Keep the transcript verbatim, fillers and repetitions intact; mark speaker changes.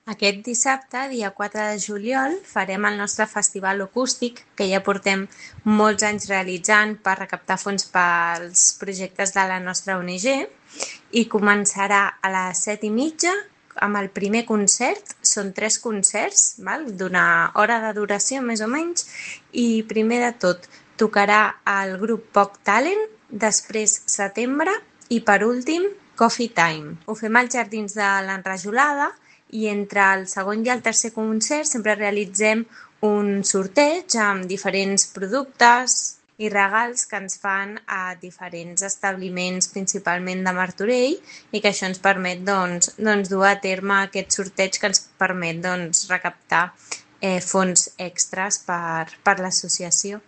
Speaker 1: Aquest dissabte, dia quatre de juliol, farem el nostre festival acústic, que ja portem molts anys realitzant per recaptar fons pels projectes de la nostra O N G, i començarà a les set i mitja amb el primer concert. Són tres concerts, val? D'una hora de duració més o menys, i primer de tot tocarà el grup Poc Talent, després Setembre i per últim Coffee Time. Ho fem als Jardins de l'Enrajolada i entre el segon i el tercer concert sempre realitzem un sorteig amb diferents productes i regals que ens fan a diferents establiments, principalment de Martorell, i que això ens permet doncs, doncs, dur a terme aquest sorteig que ens permet doncs, recaptar eh, fons extras per, per l'associació.